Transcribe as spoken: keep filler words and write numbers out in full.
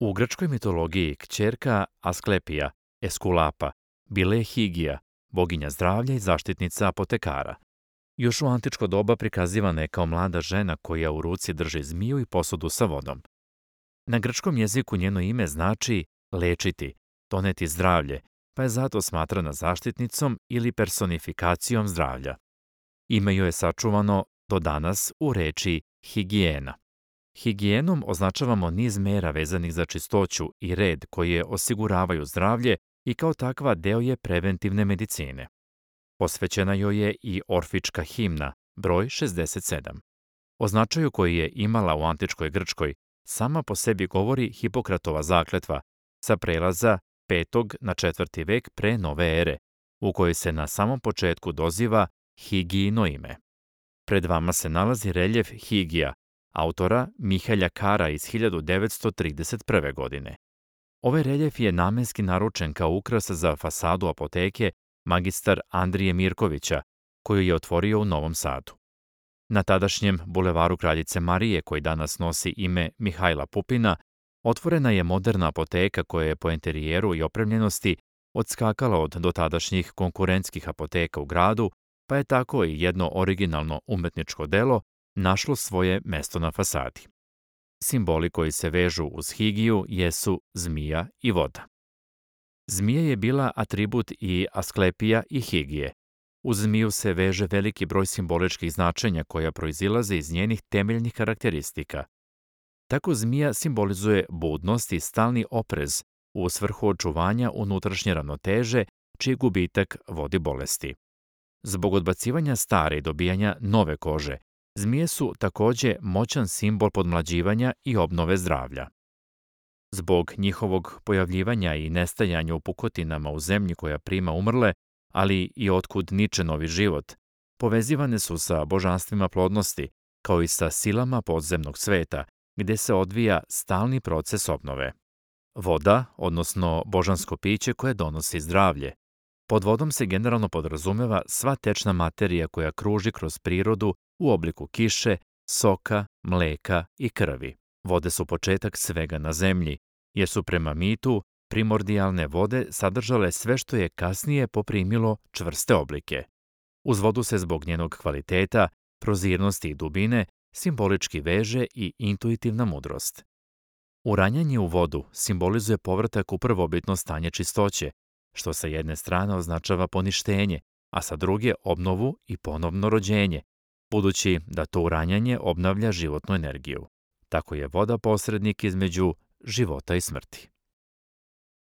U grčkoj mitologiji kćerka Asklepija, Eskulapa, bila je Higija, boginja zdravlja i zaštitnica apotekara. Još u antičko doba prikazivana je kao mlada žena koja u ruci drži zmiju i posudu sa vodom. Na grčkom jeziku njeno ime znači lečiti, doneti zdravlje, pa je zato smatrana zaštitnicom ili personifikacijom zdravlja. Ime joj je sačuvano do danas u reči higijena. Higijenom označavamo niz mera vezanih za čistoću i red koje osiguravaju zdravlje i kao takva deo je preventivne medicine. Posvećena joj je i orfička himna, broj šezdeset sedam. O značaju koji je imala u antičkoj Grčkoj sama po sebi govori Hipokratova zakletva sa prelaza petog na četvrti vek pre nove ere, u kojoj se na samom početku doziva Higijino ime. Pred vama se nalazi reljef Higija, autora Mihelja Kara iz hiljadu devetsto trideset prve. godine. Ovaj reljef je namenski naručen kao ukras za fasadu apoteke magistar Andrije Mirkovića, koju je otvorio u Novom Sadu. Na tadašnjem bulevaru Kraljice Marije, koji danas nosi ime Mihajla Pupina, otvorena je moderna apoteka koja je po enterijeru i opremljenosti odskakala od dotadašnjih konkurentskih apoteka u gradu, pa je tako i jedno originalno umetničko delo našlo svoje mesto na fasadi. Simboli koji se vežu uz Higiju jesu zmija i voda. Zmija je bila atribut i Asklepija i Higije. Uz zmiju se veže veliki broj simboličkih značenja koja proizilaze iz njenih temeljnih karakteristika. Tako zmija simbolizuje budnost i stalni oprez u svrhu očuvanja unutrašnje ravnoteže, čiji gubitak vodi bolesti. Zbog odbacivanja stare i dobijanja nove kože, zmije su takođe moćan simbol podmlađivanja i obnove zdravlja. Zbog njihovog pojavljivanja i nestajanja u pukotinama u zemlji koja prima umrle, ali i otkud niče novi život, povezivane su sa božanstvima plodnosti, kao i sa silama podzemnog sveta, gde se odvija stalni proces obnove. Voda, odnosno božansko piće koje donosi zdravlje. Pod vodom se generalno podrazumeva sva tečna materija koja kruži kroz prirodu u obliku kiše, soka, mleka i krvi. Vode su početak svega na zemlji, jer su prema mitu primordijalne vode sadržale sve što je kasnije poprimilo čvrste oblike. Uz vodu se zbog njenog kvaliteta, prozirnosti i dubine simbolički veže i intuitivna mudrost. Uranjanje u vodu simbolizuje povratak u prvobitno stanje čistoće, što sa jedne strane označava poništenje, a sa druge obnovu i ponovno rođenje, budući da to uranjanje obnavlja životnu energiju. Tako je voda posrednik između života i smrti.